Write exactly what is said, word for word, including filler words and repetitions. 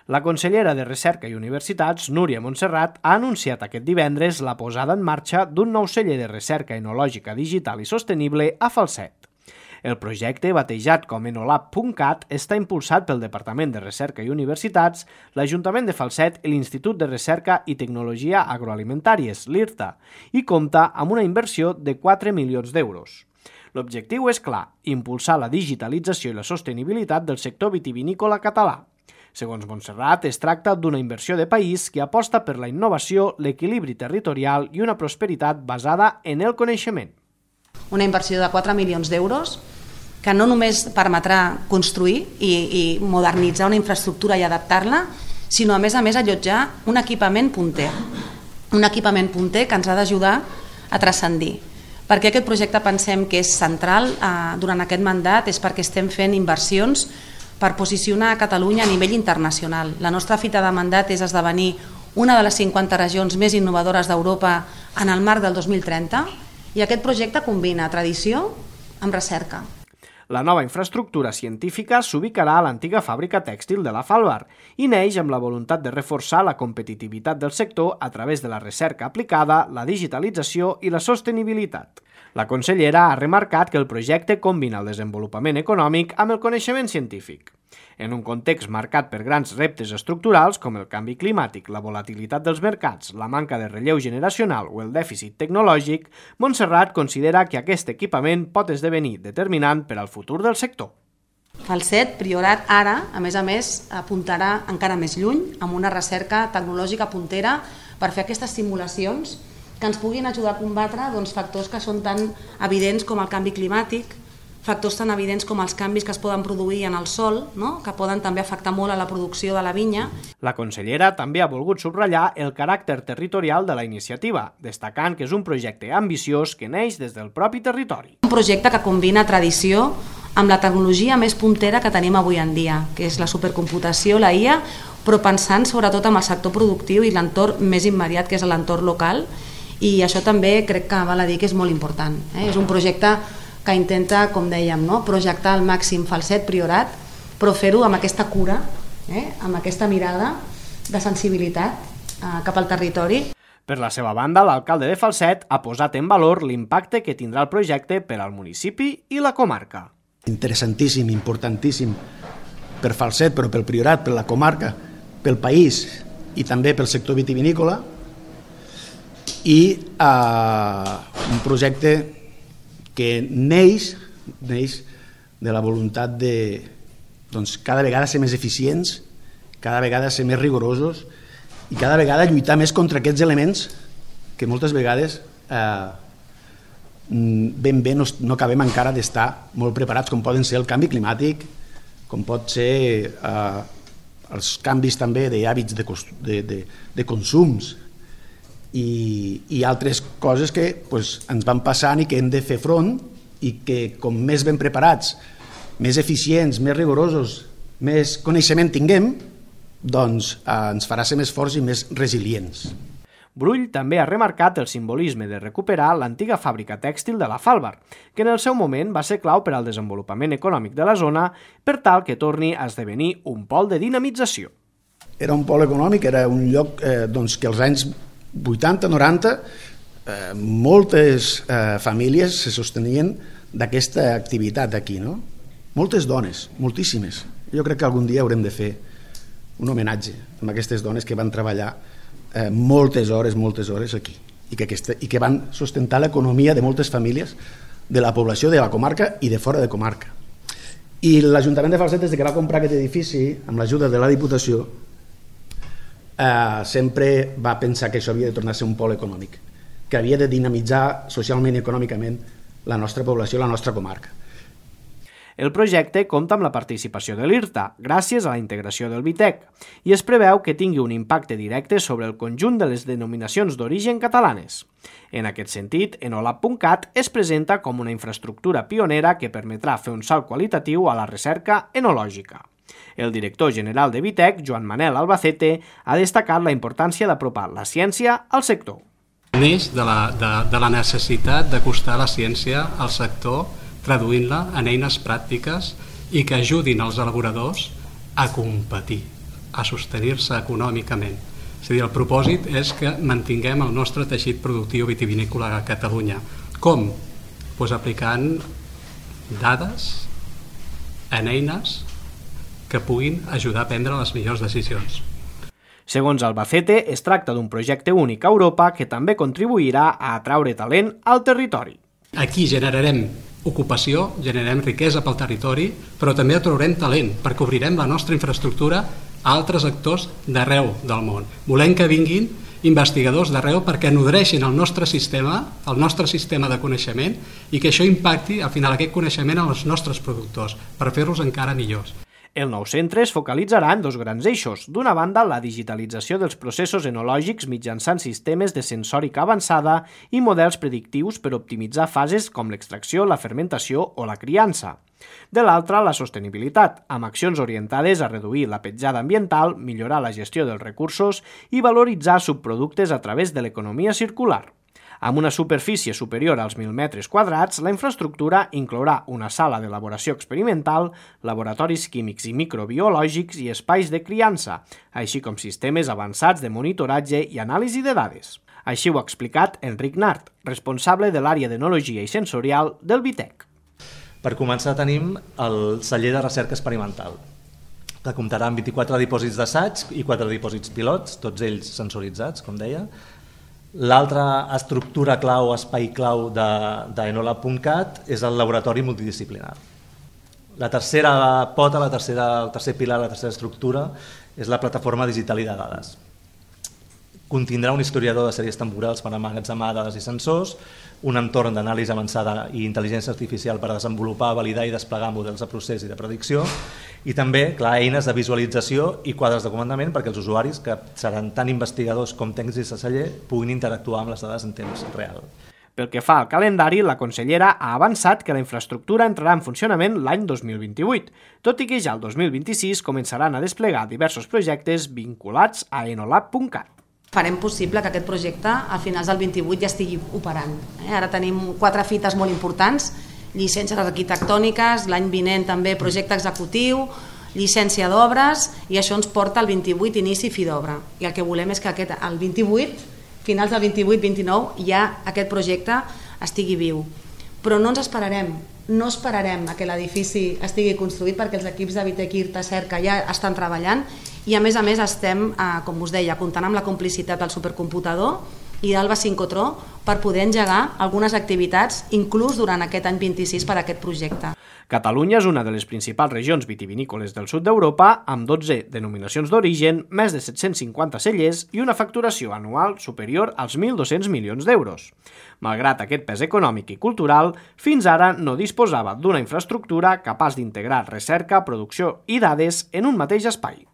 La consellera de Recerca i Universitats, Núria Montserrat, ha anunciat aquest divendres la posada en marxa d'un nou celler de recerca enològica digital i sostenible a Falset. El projecte, batejat com enolab punt cat, està impulsat pel Departament de Recerca i Universitats, l'Ajuntament de Falset i l'Institut de Recerca i Tecnologia Agroalimentàries, l'IRTA, i compta amb una inversió de quatre milions d'euros. L'objectiu és clar, impulsar la digitalització i la sostenibilitat del sector vitivinícola català. Segons Montserrat, es tracta d'una inversió de país que aposta per la innovació, l'equilibri territorial i una prosperitat basada en el coneixement. Una inversió de quatre milions d'euros que no només permetrà construir i, i modernitzar una infraestructura i adaptar-la, sinó a més a més allotjar un equipament punter. Un equipament punter que ens ha d'ajudar a transcendir. Perquè aquest projecte pensem que és central eh, durant aquest mandat és perquè estem fent inversions per posicionar a Catalunya a nivell internacional. La nostra fita de mandat és esdevenir una de les cinquanta regions més innovadores d'Europa en el marc del dos mil trenta i aquest projecte combina tradició amb recerca. La nova infraestructura científica s'ubicarà a l'antiga fàbrica tèxtil de la Falvar i neix amb la voluntat de reforçar la competitivitat del sector a través de la recerca aplicada, la digitalització i la sostenibilitat. La consellera ha remarcat que el projecte combina el desenvolupament econòmic amb el coneixement científic. En un context marcat per grans reptes estructurals com el canvi climàtic, la volatilitat dels mercats, la manca de relleu generacional o el dèficit tecnològic, Montserrat considera que aquest equipament pot esdevenir determinant per al futur del sector. Falset, Priorat, ara, a més a més, apuntarà encara més lluny amb una recerca tecnològica puntera per fer aquestes simulacions que ens puguin ajudar a combatre doncs, factors que són tan evidents com el canvi climàtic, factors tan evidents com els canvis que es poden produir en el sòl, no? Que poden també afectar molt a la producció de la vinya. La consellera també ha volgut subratllar el caràcter territorial de la iniciativa, destacant que és un projecte ambiciós que neix des del propi territori. Un projecte que combina tradició amb la tecnologia més puntera que tenim avui en dia, que és la supercomputació, la I A, però pensant sobretot en el sector productiu i l'entorn més immediat, que és l'entorn local, i això també crec que val a dir que és molt important. Eh? És un projecte que intenta, com dèiem, no? projectar al màxim Falset, Priorat, però fer-ho amb aquesta cura, eh? amb aquesta mirada de sensibilitat eh, cap al territori. Per la seva banda, l'alcalde de Falset ha posat en valor l'impacte que tindrà el projecte per al municipi i la comarca. Interessantíssim, importantíssim per Falset, però pel Priorat, per la comarca, pel país i també pel sector vitivinícola, i eh, un projecte que neix, neix de la voluntat de doncs, cada vegada ser més eficients, cada vegada ser més rigorosos i cada vegada lluitar més contra aquests elements que moltes vegades eh, ben bé no, no acabem encara d'estar molt preparats, com poden ser el canvi climàtic, com pot ser eh, els canvis també d'hàbits de, de, de, de consums, I, i altres coses que pues, ens van passant i que hem de fer front i que com més ben preparats, més eficients, més rigorosos, més coneixement tinguem, doncs eh, ens farà ser més forts i més resilients. Brull també ha remarcat el simbolisme de recuperar l'antiga fàbrica tèxtil de la Falvar, que en el seu moment va ser clau per al desenvolupament econòmic de la zona per tal que torni a esdevenir un pol de dinamització. Era un pol econòmic, era un lloc eh, doncs, que als anys vuitanta noranta eh, moltes eh, famílies se sostenien d'aquesta activitat aquí, no? Moltes dones, moltíssimes. Jo crec que algun dia haurem de fer un homenatge a aquestes dones que van treballar eh, moltes hores, moltes hores aquí i que, aquesta, i que van sustentar l'economia de moltes famílies de la població de la comarca i de fora de comarca. I l'Ajuntament de Falset, des que va comprar aquest edifici, amb l'ajuda de la Diputació, Eh, sempre va pensar que això havia de tornar a ser un pol econòmic, que havia de dinamitzar socialment i econòmicament la nostra població, la nostra comarca. El projecte compta amb la participació de l'IRTA, gràcies a la integració del Vitec, i es preveu que tingui un impacte directe sobre el conjunt de les denominacions d'origen catalanes. En aquest sentit, enolab punt cat es presenta com una infraestructura pionera que permetrà fer un salt qualitatiu a la recerca enològica. El director general de Vitec, Joan Manel Albacete, ha destacat la importància d'apropar la ciència al sector. Neix de la, de, de la necessitat d'acostar la ciència al sector, traduint-la en eines pràctiques i que ajudin els elaboradors a competir. a sostenir-se econòmicament. És a dir, el propòsit és que mantinguem el nostre teixit productiu vitivinícola a Catalunya. Com? Pues aplicant dades en eines que puguin ajudar a prendre les millors decisions. Segons Albacete, es tracta d'un projecte únic a Europa que també contribuirà a atraure talent al territori. Aquí generarem ocupació, generarem riquesa pel territori, però també atraurem talent, perquè obrirem la nostra infraestructura a altres actors d'arreu del món. Volem que vinguin investigadors d'arreu perquè nodreixin el nostre sistema, el nostre sistema de coneixement, i que això impacti al final aquest coneixement en els nostres productors, per fer-los encara millors. El nou centre es focalitzarà en dos grans eixos. D'una banda, la digitalització dels processos enològics mitjançant sistemes de sensòrica avançada i models predictius per optimitzar fases com l'extracció, la fermentació o la criança. De l'altra, la sostenibilitat, amb accions orientades a reduir la petjada ambiental, millorar la gestió dels recursos i valoritzar subproductes a través de l'economia circular. Amb una superfície superior als mil metres quadrats, la infraestructura inclourà una sala d'elaboració experimental, laboratoris químics i microbiològics i espais de criança, així com sistemes avançats de monitoratge i anàlisi de dades. Així ho ha explicat Enric Nart, responsable de l'àrea d'enologia i sensorial del Vitec. Per començar tenim el celler de recerca experimental, que comptarà amb vint-i-quatre dipòsits d'assaig i quatre dipòsits pilots, tots ells sensoritzats, com deia. L'altra estructura clau, espai clau d'Enolab punt cat és el laboratori multidisciplinar. La tercera pota, la tercera, el tercer pilar, la tercera estructura és la plataforma digital i de dades. Contindrà un historiador de sèries temporals per emmagatzemar dades i sensors, un entorn d'anàlisi avançada i intel·ligència artificial per desenvolupar, validar i desplegar models de procés i de predicció, i també, clar, eines de visualització i quadres de comandament perquè els usuaris, que seran tant investigadors com tècnics de celler, puguin interactuar amb les dades en temps real. Pel que fa al calendari, la consellera ha avançat que la infraestructura entrarà en funcionament l'any dos mil vint-i-vuit, tot i que ja el dos mil vint-i-sis començaran a desplegar diversos projectes vinculats a Enolab punt cat. Farem possible que aquest projecte a finals del vint-i-vuit ja estigui operant. Ara tenim quatre fites molt importants, llicències arquitectòniques, l'any vinent també projecte executiu, llicència d'obres, i això ens porta al vint-i-vuit inici fi d'obra. I el que volem és que aquest, el vint-i-vuit, finals del vint-i-vuit vint-i-nou, ja aquest projecte estigui viu. Però no ens esperarem, no esperarem a que l'edifici estigui construït perquè els equips de Vitec, IRTA, Cerca ja estan treballant i a més a més estem, com us deia, comptant amb la complicitat del supercomputador i d'Alba Sincrotró per poder engegar algunes activitats inclús durant aquest any vint-i-sis per a aquest projecte. Catalunya és una de les principals regions vitivinícoles del sud d'Europa, amb dotze denominacions d'origen, més de set-cents cinquanta cellers i una facturació anual superior als mil dos-cents milions d'euros. Malgrat aquest pes econòmic i cultural, fins ara no disposava d'una infraestructura capaç d'integrar recerca, producció i dades en un mateix espai.